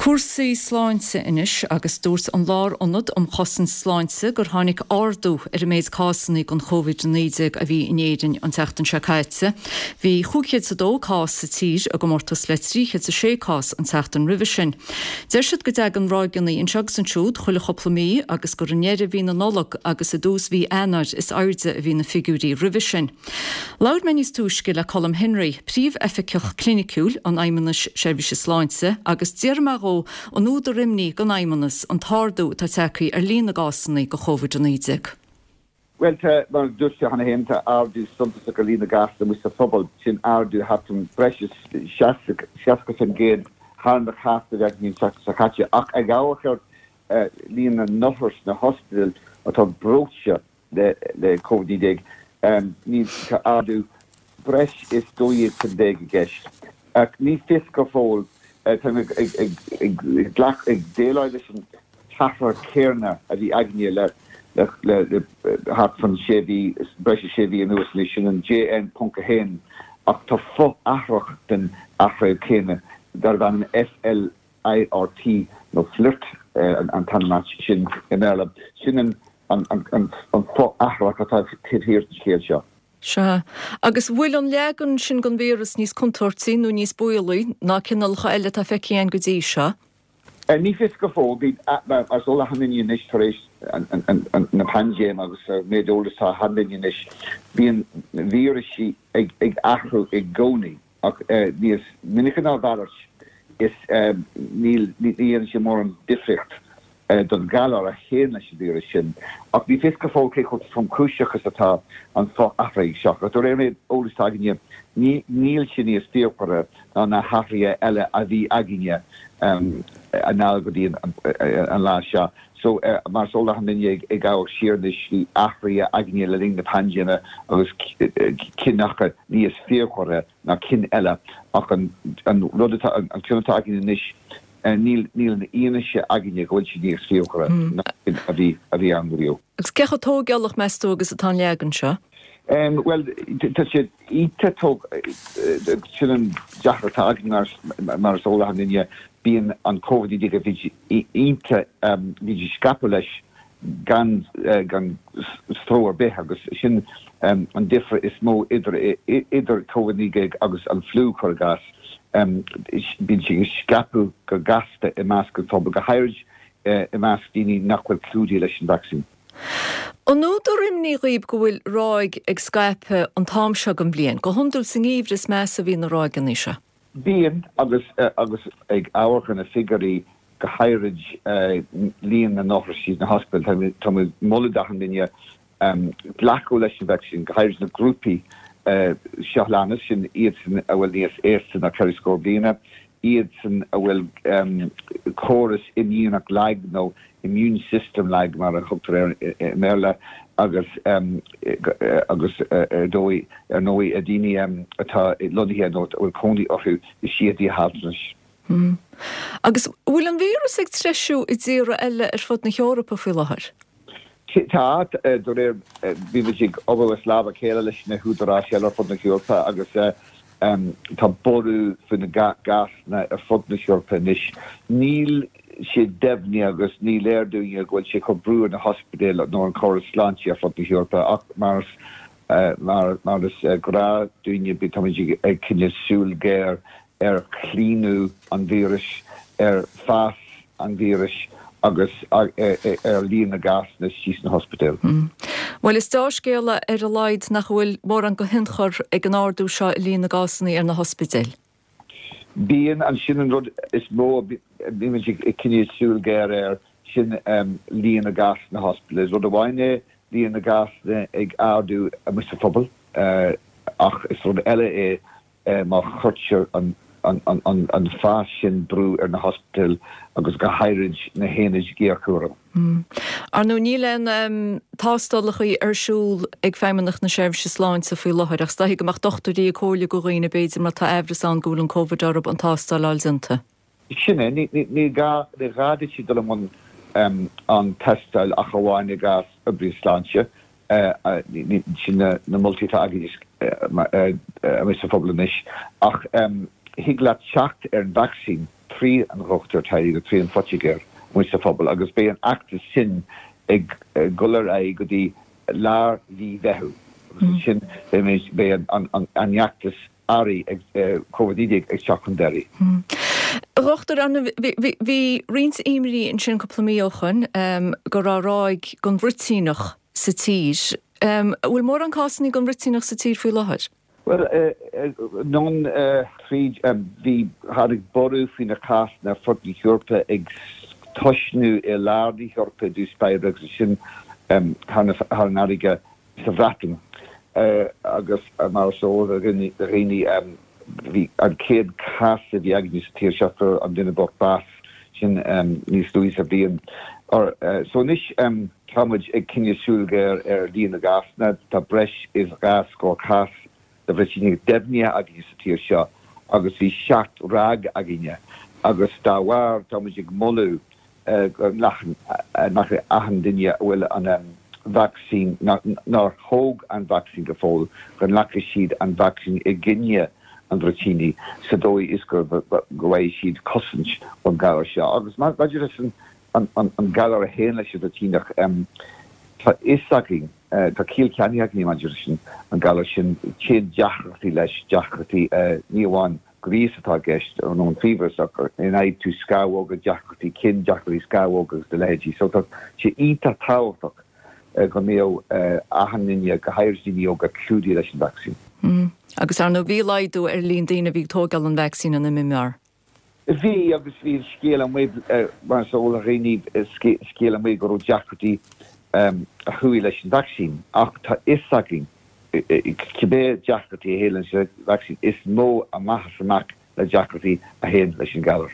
Cúrsaí sláinte anois agus dúirt an Lárionad um Chosaint Sláinte gur tháinig ardú ar an méid cásanna den Covid-19 a bhí in Éirinn an tseachtain seo caite. Bhí 502 cás sa tír i gcomórtas le 306 cás an tseachtain roimhe sin. Deir siad go dtagann ráigeanna anseo agus ansiúd chuile chúpla mí agus gur i ndeireadh mhí na Nollag agus i dtús mhí Eanáir is airde a bhí na figiúirí roimhe sin. Labhair mé níos túisce le Colm Henry, Príomh-Oifigeach Cliniciúil an Fheidhmeannais Seirbhíse Sláinte agus d'fhiafraigh mé dhó an údar imní don Fheidhmeannas an t-ardú atá tagtha ar líon na gcásanna de Covid-19. Bhuel, tá, mar a dúirt tú cheana féin, tá ardú suntasach ar líon na gcásanna amuigh sa phobal, sin ardú thart an breis is 60% thar na cásanna a bhí againn an tseachtain seo caite. Ach ag amharc ar líon na n-othar sna hospidéil atá breoite, le Covid-19, níl, tá ardú breis is 12% i gceist. Ach ní fios go fóill, táimid ag ag déileáil leis an t-athraitheach céanna a bhí againne le le thart fan sé mhí, breis is sé mhí anuas anois, sin an JN.1, ach tá fo-athraitheach den athraitheach céanna darb ainm FL. IRT nó FLirt an t-ainm air sin i mBéarla. Sin an fo-athraitheach atá taobh thiar den scéal seo. Sea. Agus bhfuil an leagan sin den víreas níos contúirtí nó níos baolaí ná cineálacha eile atá feicthe againn go dtí seo? Ní fios go fóill. Mar is eol d'achan duine anois tar éis na paindéime agus an méid eolais atá ag achan duine anois, bíonn vírisí ag athrú i gcónaí. Ach níos minice ná a mhalairt, is níl, ní dhéanann sé mórán difríocht don ghalar a théann leis an víreas sin. Ach ní fios go fóill cé chomh tromchúiseach is atá an fo-athraitheach seo. Ach de réir an méid eolais atá againne, níl sé níos fíochmhaire ná na hathruithe eile a bhí againne anall go dtí an lá seo. So, mar is eol d'achan duine ag amharc siar anois, bhí athruithe againne le linn na paindéime agus cinn acu níos fíochmhaire ná cinn eile ach an rud atá, an ceann atá againne anois, níl, níl an fhianaise againne go bhfuil sé níos fíochmhaire ná cinn a bhí, a bhí ann riamh. Agus cé chomh tóigeálach, meas tú, agus atá an leagan seo? Bhuel, tá sé iontach tóg, sin an deacracht atá againn mar, mar is eol d'achan duine, bíonn an Covid-19 bhí iontach, bhí sé scaipeadh leis gan, gan stró ar bith agus sin an difear is mó idir, idir Covid-19 agus an fliú, cuir i gcás. Bíonn sé ag scaipeadh go gasta i measc an phobail, go háirid i measc daoine nach bhfuil clúdaithe leis an vacsaín. An údar imní dhaoib go bhfuil ráig ag scaipeadh an t-am seo den bhliain? Go hiondúil sa ngeimhreadh is measa a bhíonn na ráigeanna seo. Bíonn, agus agus ag amharc ar na figiúirí, go háirid líon na n-othar sna hospidéil, tá muid ag moladh d'achan duine glacadh leis an vacsaín, go háirid na grúpaí seo a leanas, sin iadsan a bhfuil níos aosta ná 4 scór bliana, iadsan a bhfuil córas imdhíonach lag nó immune system lag mar a thugtar air i mBéarla agus agus ar dóigh ar ndóigh daoine atá lonnaithe nó a bhfuil cónaí orthu i síthe altranais. Agus an bhfuil an víreas ag treisiú i dtíortha eile ar fud na hEorpa faoi láthair? Tá, de réir, bhí muid ag obair as lámh a chéile leis na húdaráis eile ar fud na hEorpa agus tá borradh faoi na gcásanna ar fud na hEorpa anois. Níl sé deimhnithe agus ní léir dúinne go bhfuil sé ag cur brú ar na hospidéil nó an córas sláinte ar fud na hEorpa ach mar mar is gnáth dúinne táimid ag coinneáil súil ghéar ar chlaonadh an víris, ar fás an víris agus ar líon na gcásanna istigh sna hospidéil. Bhuel, is deá-scéala ar a laghad nach bhfuil mórán de thionchar ag an ardú seo i líon na gcásanna ar na hospidéil. Bíonn, an sin an rud is mó a bímid ag coinneáil súil ghéar air, sin líon na gcásanna sna hospidéil. Is rud amháin é líon na gcásanna ag ardú amuigh sa phobal ach is rud eile é má chuirtear an fás sin brú ar na hospidéil agus go háirid na haonaid ghéarchúraim. Ar ndóigh, níl aon tástálacha ar siúl ag Feidhmeannacht na Seirbhíse Sláinte faoi láthair ach is dóichí go mbeadh dochtúirí ag comhairliú do dhaoine, b'fhéidir, má tá aimhreas ann go bhfuil an Covid orthu, an tástáil a fháil déanta. Sin é. Ní gá duit dul i mbun an tástáil ach amháin i gcás oibrí sláinte. Sin na moltaí atá againn amuigh sa phobal anois. Ach. Thig leat teacht ar an vacsaín trí an dhochtúir teaghlaigh nó trí an phoitigéir amuigh sa phobal agus beidh an fheachtas sin ag dul ar aghaidh go dtí lár mhí Mheitheamh agus ansin beidh an fheachtas earraigh ag Covid-19 ag teacht chun deiridh. A Dhochtúir, bhí roinnt imní ansin cúpla mí ó shoin go raibh ráig den bhruitíneach sa tír. An bhfuil mórán cásanna den bhruitíneach sa tír faoi láthair? Bhuel, anonn tríd, bhí, tháinig borradh faoi na cásanna ar fud na hEorpa ag tosnú i lár na hEorpa i dtús báire agus ansin thar an fharraige sa Bhreatain agus mar is eol do dhaoine bhí an chéad chás a bhí againne sa tír seo fuair an duine bocht bás sin níos luaithe sa bhliain. So anois Tá muid ag coinneáil súil ghéar ar líon na gcásanna. Tá breis is 2 scór cás de bhruitíneach deimhnithe againne sa tír seo agus bhí 7 ráig againne agus dá bharr tá muid ag moladh go nglacann achan duine a bhfuil an vacsaín, nár thóg an vacsaín go fóill, go nglacfaidh siad an vacsaín i gcoinne an bhruitínigh sa dóigh is go bhfaighidh siad cosaint ón ghalar seo. Agus maidir leis an an galar a théann leis an bhruitíneach. Tá fhios againn, tá ciall ceannaithe againn maidir leis an galar sin, téann deacrachtaí leis, deacrachtaí ní amháin gríos atá i gceist nó an fiabhras ach ina fhaigheann tú scamhóga, deacrachtaí cinn, deacrachtaí scamhóga agus a leithéidí. So tá sé iontach tábhachtach go mbeadh achan duine, go háirid daoine óga, clúdaithe leis an vacsaín. Agus ar ndóigh bhí laghdú ar líon daoine a bhí ag tógáil an vacsaín in MMR. Bhí, agus bhí an scéal amuigh, mar is eol do dhaoine, scéal amuigh go raibh deacrachtaí a chuaigh leis an vacsaín. Ach tá fhios againn, cibé deacrachtaí a théann leis an vacsaín, is mó amach is amach na deacrachtaí a théann leis an ghalar.